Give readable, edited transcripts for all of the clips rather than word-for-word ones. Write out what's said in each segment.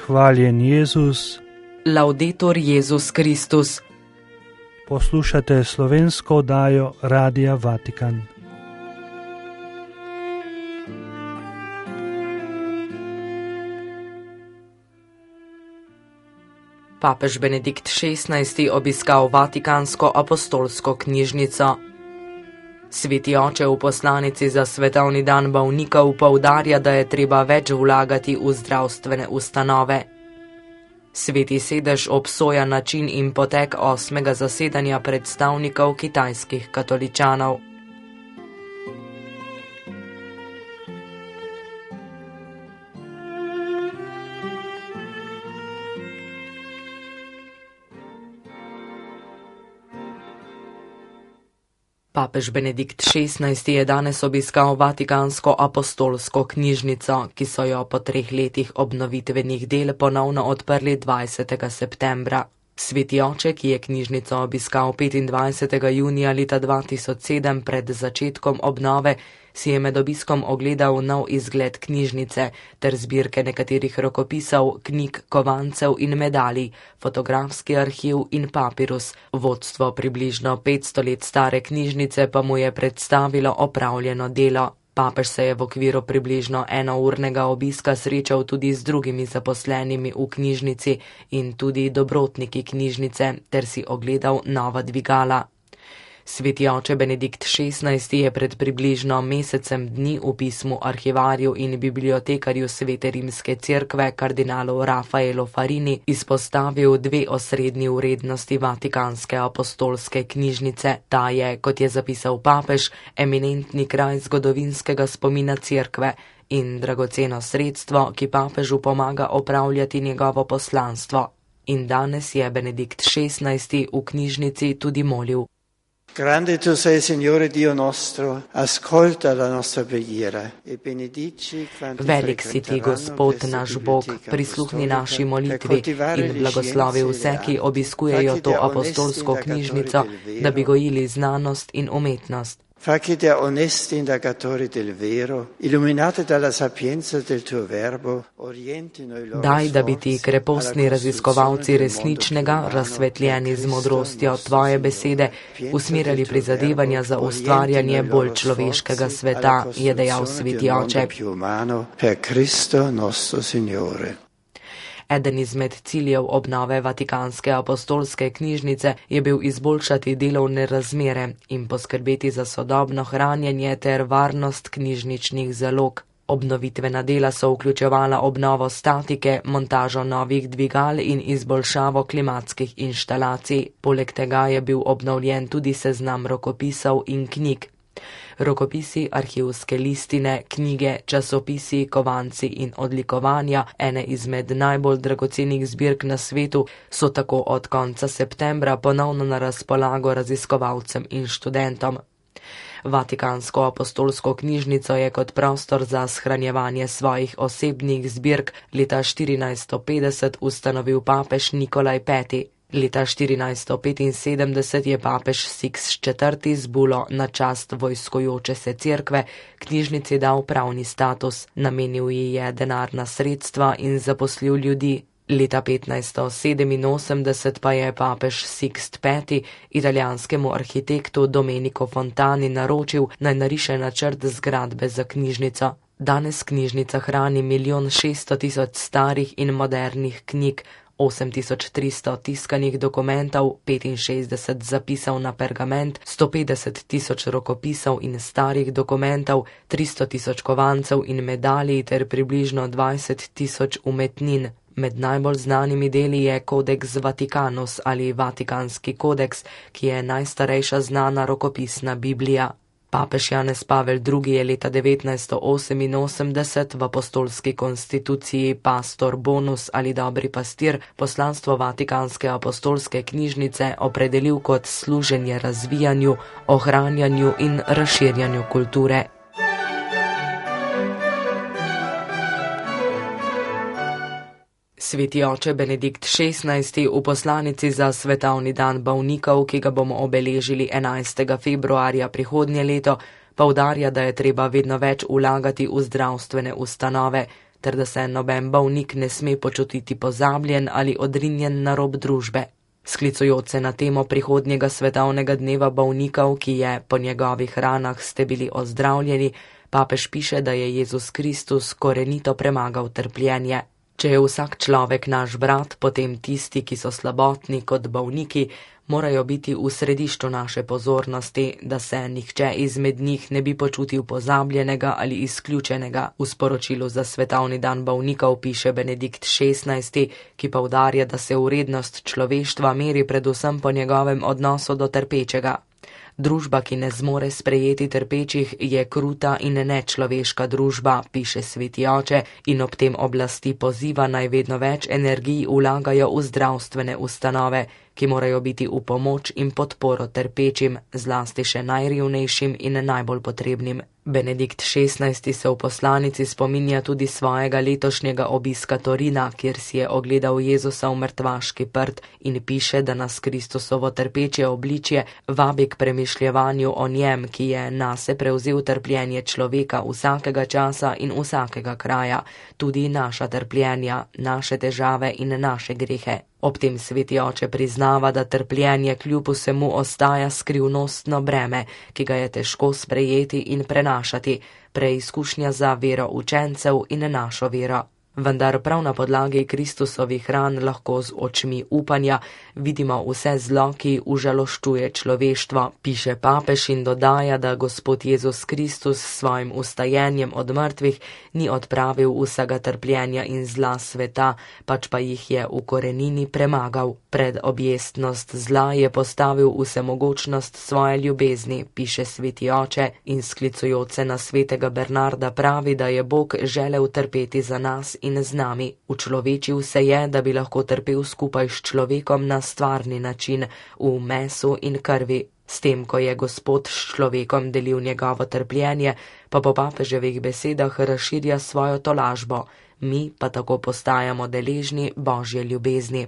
Hvaljen Jezus. Laudetur Jezus Kristus. Poslušate slovensko oddajo Radia Vatikan. Papež Benedikt XVI. Obiskal Vatikansko apostolsko knjižnico. Sveti oče v poslanici za svetovni dan bolnikov poudarja, da je treba več vlagati v zdravstvene ustanove. Sveti sedež obsoja način in potek 8. zasedanja predstavnikov kitajskih katoličanov. Papež Benedikt XVI. Je danes obiskal Vatikansko apostolsko knjižnico, ki so jo po 3 letih obnovitvenih del ponovno odprli 20. septembra. Sveti oče, ki je knjižnico obiskal 25. junija leta 2007 pred začetkom obnove, si je med obiskom ogledal nov izgled knjižnice ter zbirke nekaterih rokopisov, knjig, kovancev in medalij, fotografski arhiv in papirus. Vodstvo približno 500 let stare knjižnice pa mu je predstavilo opravljeno delo. Papež se je v okviru približno enournega obiska srečal tudi z drugimi zaposlenimi v knjižnici in tudi dobrotniki knjižnice ter si ogledal nova dvigala. Sveti oče Benedikt XVI. Je pred približno mesecem dni v pismu arhivarju in bibliotekarju Svete rimske cerkve kardinalu Rafaelu Farini izpostavil 2 osrednji vrednosti Vatikanske apostolske knjižnice. Ta je, kot je zapisal papež, eminentni kraj zgodovinskega spomina cerkve in dragoceno sredstvo, ki papežu pomaga opravljati njegovo poslanstvo. In danes je Benedikt XVI. V knjižnici tudi molil. Grande tu sei, Signore Dio nostro, ascolta la nostra preghiera e benedici quanti Velik si ti, Gospod naš Bog, prisluhni naši molitvi in blagoslovi vse, ki obiskujejo to apostolsko knjižnico, da bi gojili znanost in umetnost. Facci da onesti indagatori del vero, illuminati dalla sapienza del tuo verbo, orientino i loro Daj, da bi ti krepostni raziskovalci resničnega, razsvetljeni z modrostjo tvoje besede, usmerjali prizadevanja za ustvarjanje bolj človeškega sveta, je dejal sveti oče. Eden izmed ciljev obnove Vatikanske apostolske knjižnice je bil izboljšati delovne razmere in poskrbeti za sodobno hranjenje ter varnost knjižničnih zalog. Obnovitvena dela so vključevala obnovo statike, montažo novih dvigal in izboljšavo klimatskih inštalacij. Poleg tega je bil obnovljen tudi seznam rokopisov in knjig. Rokopisi, arhivske listine, knjige, časopisi, kovanci in odlikovanja, ene izmed najbolj dragocenih zbirk na svetu, so tako od konca septembra ponovno na razpolago raziskovalcem in študentom. Vatikansko apostolsko knjižnico je kot prostor za shranjevanje svojih osebnih zbirk leta 1450 ustanovil papež Nikolaj V. Leta 1475 je papež Siks IV. Z bulo na čast vojskojoče se cerkve knjižnici dal pravni status, namenil ji je denarna sredstva in zaposlil ljudi. Leta 1587 pa je papež Siks V. italijanskemu arhitektu Domenico Fontani naročil, naj nariše načrt zgradbe za knjižnico. Danes knjižnica hrani 1.600.000 starih in modernih knjig, 8.300 tiskanih dokumentov, 65 zapisov na pergament, 150.000 rokopisov in starih dokumentov, 300.000 kovancev in medalij ter približno 20.000 umetnin. Med najbolj znanimi deli je Codex Vaticanus ali Vatikanski kodeks, ki je najstarejša znana rokopisna Biblija. Papež Janez Pavel II. Je leta 1988 v apostolski konstituciji Pastor Bonus ali Dobri pastir poslanstvo Vatikanske apostolske knjižnice opredelil kot služenje razvijanju, ohranjanju in razširjanju kulture. Sveti oče Benedikt XVI. V poslanici za svetovni dan bolnikov, ki ga bomo obeležili 11. februarja prihodnje leto, poudarja, da je treba vedno več vlagati v zdravstvene ustanove, ter da se noben bolnik ne sme počutiti pozabljen ali odrinjen na rob družbe. Sklicujoč se na temo prihodnjega svetovnega dneva bolnikov, ki je po njegovih ranah ste bili ozdravljeni, papež piše, da je Jezus Kristus korenito premagal trpljenje. Če je vsak človek naš brat, potem tisti, ki so slabotni kot bolniki, morajo biti v središču naše pozornosti, da se nihče izmed njih ne bi počutil pozabljenega ali izključenega. V sporočilu za svetovni dan bolnikov piše Benedikt XVI, ki poudarja, da se vrednost človeštva meri predvsem po njegovem odnosu do trpečega. Družba, ki ne zmore sprejeti trpečih, je kruta in nečloveška družba, piše sveti oče, in ob tem oblasti poziva naj vedno več energij vlagajo v zdravstvene ustanove, ki morajo biti v pomoč in podporo trpečim, zlasti še najrevnejšim in najbolj potrebnim. Benedikt XVI se v poslanici spominja tudi svojega letošnjega obiska Torina, kjer si je ogledal Jezusa v mrtvaški prt in piše, da nas Kristusovo trpeče obličje vabi k premišljevanju o njem, ki je nase prevzel trpljenje človeka vsakega časa in vsakega kraja, tudi naša trpljenja, naše težave in naše grehe. Ob tem sveti oče priznava, da trpljenje kljub vsemu ostaja skrivnostno breme, ki ga je težko sprejeti in prenašati, preizkušnja za vero učencev in našo vero. Vendar prav na podlagi Kristusovih ran lahko z očmi upanja vidimo vse zlo, ki užaloščuje človeštvo, piše papež in dodaja, da Gospod Jezus Kristus s svojim ustajenjem od mrtvih ni odpravil vsega trpljenja in zla sveta, pač pa jih je v korenini premagal. Pred objestnost zla je postavil vsemogočnost svoje ljubezni, piše sveti oče, in sklicujoč se na svetega Bernarda pravi, da je Bog želel trpeti za nas in z nami. Učlovečil se je, da bi lahko trpel skupaj s človekom na stvarni način, v mesu in krvi. S tem, ko je Gospod s človekom delil njegovo trpljenje, pa po papeževih besedah razširja svojo tolažbo, mi pa tako postajamo deležni Božje ljubezni.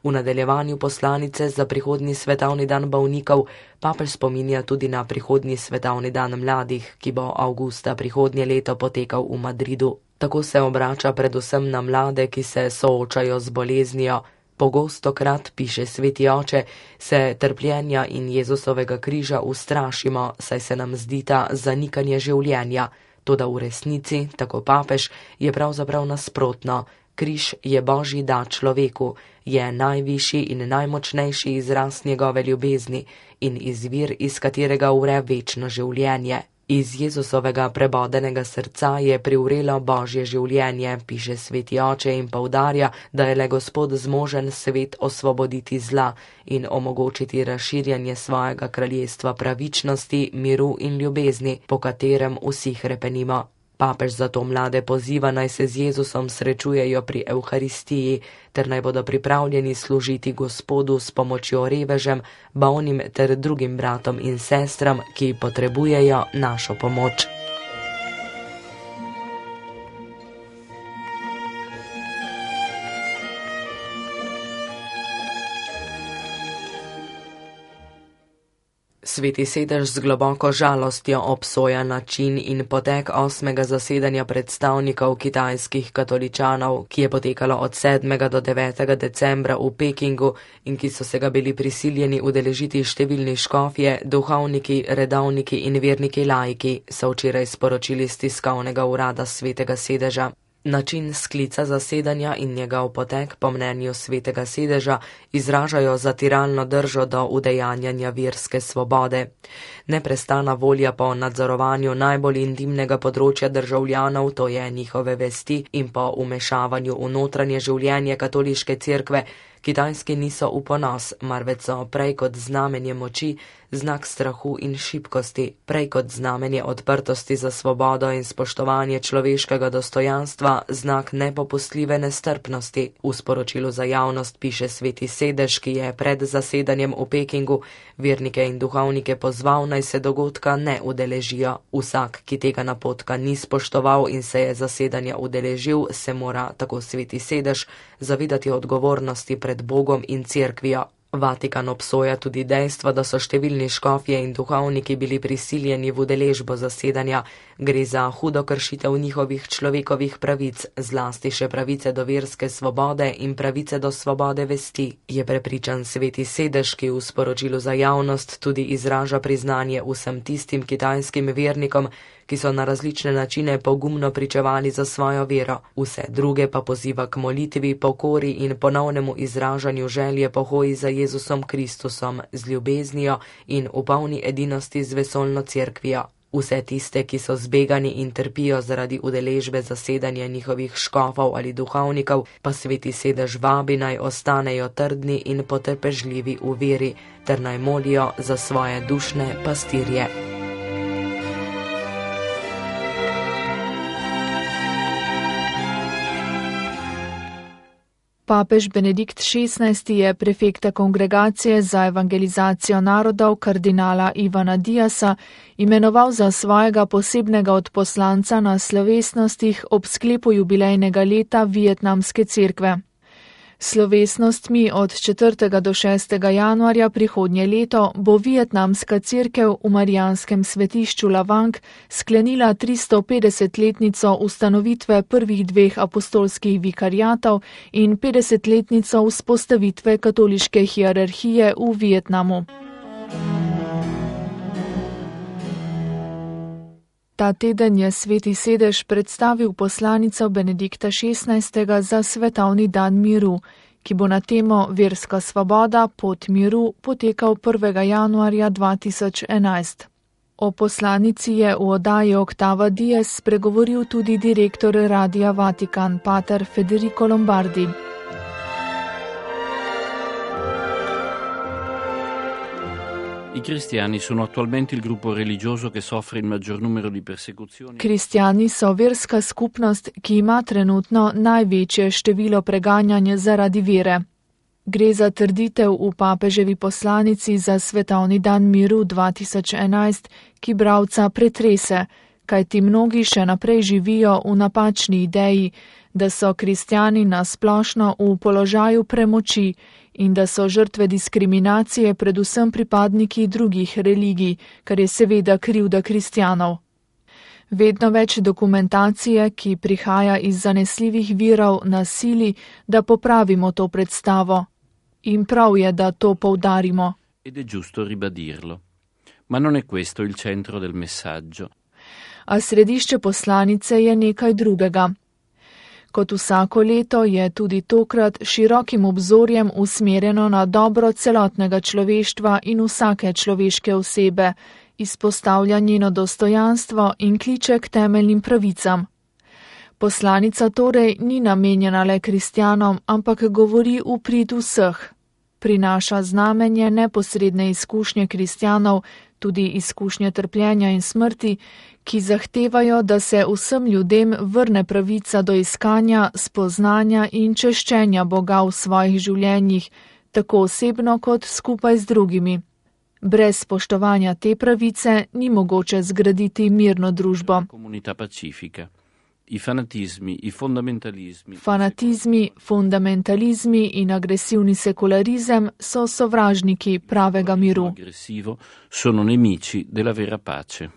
V nadaljevanju poslanice za prihodnji svetovni dan bolnikov papež spominja tudi na prihodnji svetovni dan mladih, ki bo avgusta prihodnje leto potekal v Madridu. Tako se obrača predvsem na mlade, ki se soočajo z boleznijo. Pogostokrat, piše sveti oče, se trpljenja in Jezusovega križa ustrašimo, saj se nam zdita zanikanje življenja. Toda v resnici, tako papež, je pravzaprav nasprotno. Križ je Božji dar človeku, je najvišji in najmočnejši izraz njegove ljubezni in izvir, iz katerega vre večno življenje. Iz Jezusovega prebodenega srca je privrelo Božje življenje, piše sveti oče in poudarja, da je le Gospod zmožen svet osvoboditi zla in omogočiti razširjanje svojega kraljestva pravičnosti, miru in ljubezni, po katerem vsi hrepenimo. Papež zato mlade poziva, naj se z Jezusom srečujejo pri Evharistiji, ter naj bodo pripravljeni služiti Gospodu s pomočjo revežem, bolnim ter drugim bratom in sestram, ki potrebujejo našo pomoč. Sveti sedež z globoko žalostjo obsoja način in potek 8. zasedanja predstavnikov kitajskih katoličanov, ki je potekalo od 7. do 9. decembra v Pekingu in ki so se ga bili prisiljeni udeležiti številni škofje, duhovniki, redovniki in verniki laiki, so včeraj sporočili z tiskovnega urada svetega sedeža. Način sklica zasedanja in njegov potek po mnenju svetega sedeža izražajo zatiralno držo do udejanjanja verske svobode. Neprestana volja po nadzorovanju najbolj intimnega področja državljanov, to je njihove vesti, in po vmešavanju v notranje življenje katoliške cerkve, Kitajski niso v ponos, marveč so prej kot znamenje moči, znak strahu in šibkosti, prej kot znamenje odprtosti za svobodo in spoštovanje človeškega dostojanstva, znak nepopustljive nestrpnosti. V sporočilu za javnost piše sveti sedež, ki je pred zasedanjem v Pekingu vernike in duhovnike pozval, naj se dogodka ne udeležijo. Vsak, ki tega napotka ni spoštoval in se je zasedanja udeležil, se mora, tako sveti sedež, zavedati odgovornosti pred Bogom in cerkvijo. Vatikan obsoja tudi dejstvo, da so številni škofje in duhovniki bili prisiljeni v udeležbo zasedanja. Gre za hudo kršitev njihovih človekovih pravic, zlasti še pravice do verske svobode in pravice do svobode vesti, je prepričan Sveti sedež, ki v sporočilu za javnost tudi izraža priznanje vsem tistim kitajskim vernikom, ki so na različne načine pogumno pričevali za svojo vero, vse druge pa poziva k molitvi, pokori in ponovnemu izražanju želje po hoji za Jezusom Kristusom, z ljubeznijo in v polni edinosti z vesoljno cerkvijo. Vse tiste, ki so zbegani in trpijo zaradi udeležbe zasedanja njihovih škofov ali duhovnikov, pa Sveti sedež vabi naj ostanejo trdni in potrpežljivi v veri, ter naj molijo za svoje dušne pastirje. Papež Benedikt XVI je prefekta Kongregacije za evangelizacijo narodov kardinala Ivana Diasa imenoval za svojega posebnega odposlanca na slovesnostih ob sklepu jubilejnega leta Vietnamske cerkve. Slovesnostmi od 4. do 6. januarja prihodnje leto bo Vietnamska cerkev v Marijanskem svetišču Lavang sklenila 350-letnico ustanovitve prvih 2 apostolskih vikariatov in 50-letnico vzpostavitve katoliške hierarhije v Vietnamu. Ta teden je Sveti sedež predstavil poslanico Benedikta XVI. Za svetovni dan miru, ki bo na temo Verska svoboda, pot miru potekal 1. januarja 2011. O poslanici je v oddaji Octava Dies spregovoril tudi direktor Radia Vatikan, pater Federico Lombardi. I cristiani sono attualmente il gruppo religioso che soffre il maggior numero di persecuzioni. Kristjani so verska skupnost, ki ima trenutno največje število preganjanja zaradi vere. Gre za trditev v papeževi poslanici za svetovni dan miru 2011, ki bralca pretrese, kajti mnogi še naprej živijo v napačni ideji, da so kristjani na splošno v položaju premoči in da so žrtve diskriminacije predvsem pripadniki drugih religij, kar je seveda krivda kristjanov. Vedno več dokumentacije, ki prihaja iz zanesljivih virov, nas sili, da popravimo to predstavo. In prav je, da to poudarimo. Ed è giusto ribadirlo. Ma non è questo il centro del messaggio. A središče poslanice je nekaj drugega. Kot vsako leto je tudi tokrat širokim obzorjem usmerjeno na dobro celotnega človeštva in vsake človeške osebe, izpostavlja njeno dostojanstvo in kliče k temeljnim pravicam. Poslanica torej ni namenjena le kristjanom, ampak govori v prid vseh. Prinaša znamenje neposredne izkušnje kristjanov, tudi izkušnje trpljenja in smrti, ki zahtevajo, da se vsem ljudem vrne pravica do iskanja, spoznanja in češčenja Boga v svojih življenjih, tako osebno kot skupaj z drugimi. Brez spoštovanja te pravice ni mogoče zgraditi mirno družbo. Fanatizmi, fundamentalizmi in agresivni sekularizem so sovražniki pravega miru. Sono nemici della vera pace.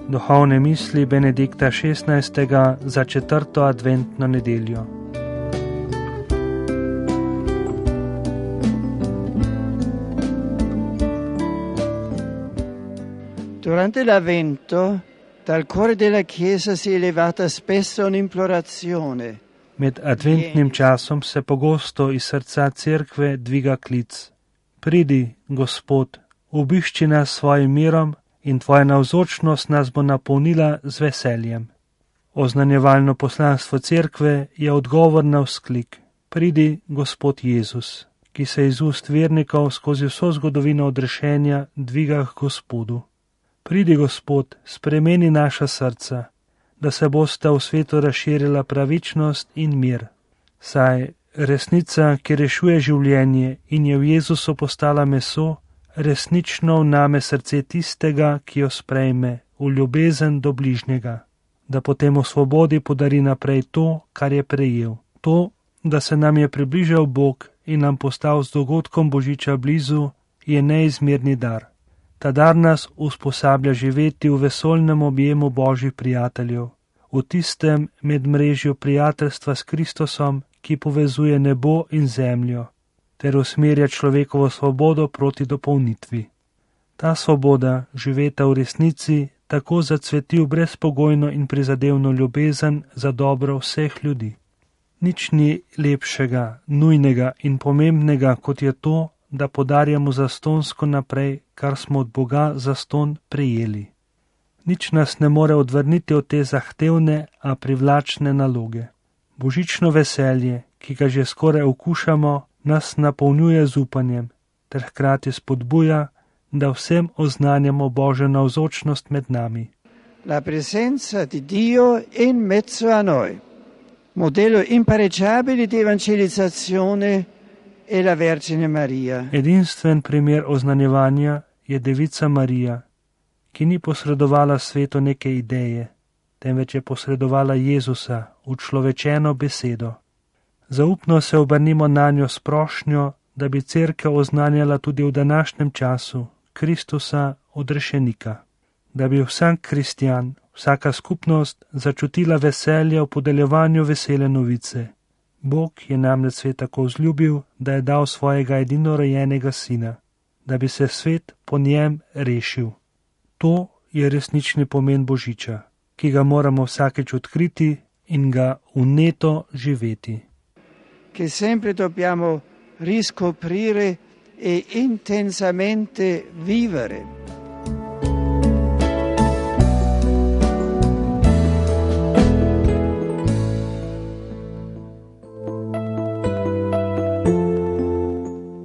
Duhovne misli Benedikta XVI. Za 4. adventno nedeljo. Durante l'Avvento, dal cuore della Chiesa si è elevata spesso un'implorazione. Med adventnim časom se pogosto iz srca cerkve dviga klic. Pridi, Gospod, obišči nas svojim mirom in tvoja navzočnost nas bo napolnila z veseljem. Oznanjevalno poslanstvo cerkve je odgovor na vzklik. Pridi, Gospod Jezus, ki se iz ust vernikov skozi vso zgodovino odrešenja dviga k Gospodu. Pridi, Gospod, spremeni naša srca, da se bosta v svetu razširila pravičnost in mir. Saj resnica, ki rešuje življenje in je v Jezusu postala meso, resnično vname srce tistega, ki jo sprejme, v ljubezen do bližnjega, da potem v svobodi podari naprej to, kar je prejel. To, da se nam je približal Bog in nam postal z dogodkom Božiča blizu, je neizmerni dar. Ta dar nas usposablja živeti v vesoljnem objemu Božjih prijateljev, v tistem medmrežju prijateljstva s Kristusom, ki povezuje nebo in zemljo, ter usmerja človekovo svobodo proti dopolnitvi. Ta svoboda, živeta v resnici, tako zacveti v brezpogojno in prizadevno ljubezen za dobro vseh ljudi. Nič ni lepšega, nujnega in pomembnega, kot je to, da podarjamo zastonsko naprej, kar smo od Boga zaston prejeli. Nič nas ne more odvrniti od te zahtevne, a privlačne naloge. Božično veselje, ki ga že skoraj okušamo, nas napolnjuje z upanjem, ter hkrati spodbuja, da vsem oznanjamo Božjo navzočnost med nami. La presenza di Dio in mezzo a noi. Modello impareggiabile di evangelizzazione è la Vergine Maria. Edinstven primer oznanjevanja je Devica Marija, ki ni posredovala svetu neke ideje, temveč je posredovala Jezusa, učlovečeno besedo. Zaupno se obrnimo nanjo s prošnjo, da bi cerkev oznanjala tudi v današnjem času Kristusa odrešenika, da bi vsak kristjan, vsaka skupnost začutila veselje v podeljevanju vesele novice. Bog je namreč svet tako vzljubil, da je dal svojega edinorojenega sina, da bi se svet po njem rešil. To je resnični pomen Božiča, ki ga moramo vsakeč odkriti in ga vneto živeti. Che sempre dobbiamo riscoprire e intensamente vivere.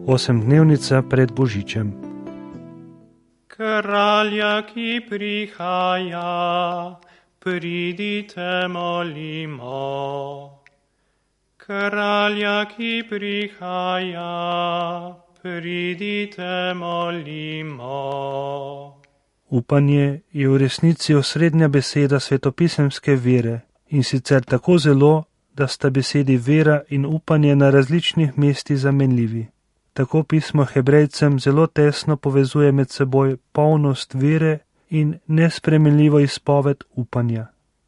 Osemdnevnica pred Božičem. Kralja, ki prihaja, pridite molimo. Kralja, ki prihaja, pridite molimo. Upanje je v resnici osrednja beseda svetopisemske vere, in sicer tako zelo, da sta besedi vera in upanje na različnih mestih zamenljivi. Tako pismo Hebrejcem zelo tesno povezuje med seboj polnost vere in nespremenljivo izpoved upanja.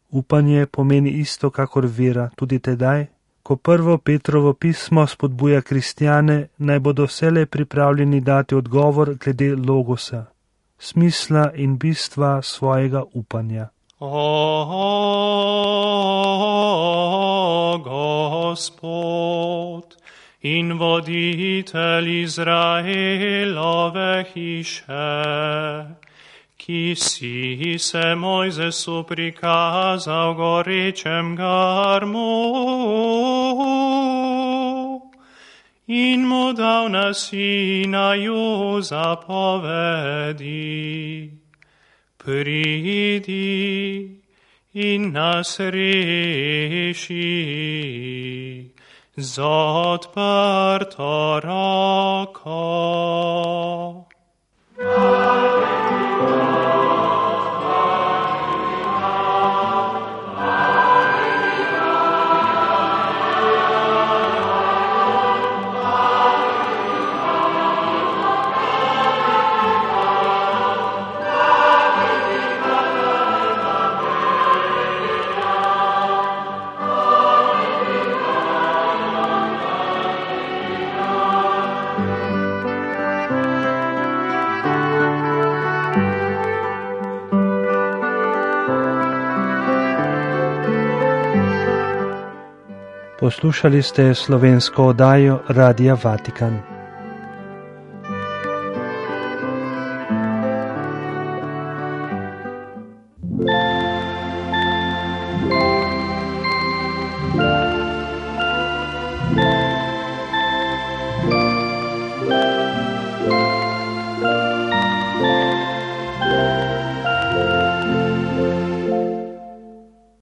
Upanje pomeni isto kakor vera tudi tedaj, ko prvo Petrovo pismo spodbuja kristjane, naj bodo vselej pripravljeni dati odgovor glede logosa, smisla in bistva svojega upanja. O Gospod in voditelj Izraelove hiše, ki si se Mojzesu prikazal gorečem garmu in mu dal na Sinaju zapovedi. Pridi in nas reši z odprto roko. Poslušali ste slovensko oddajo Radia Vatikan.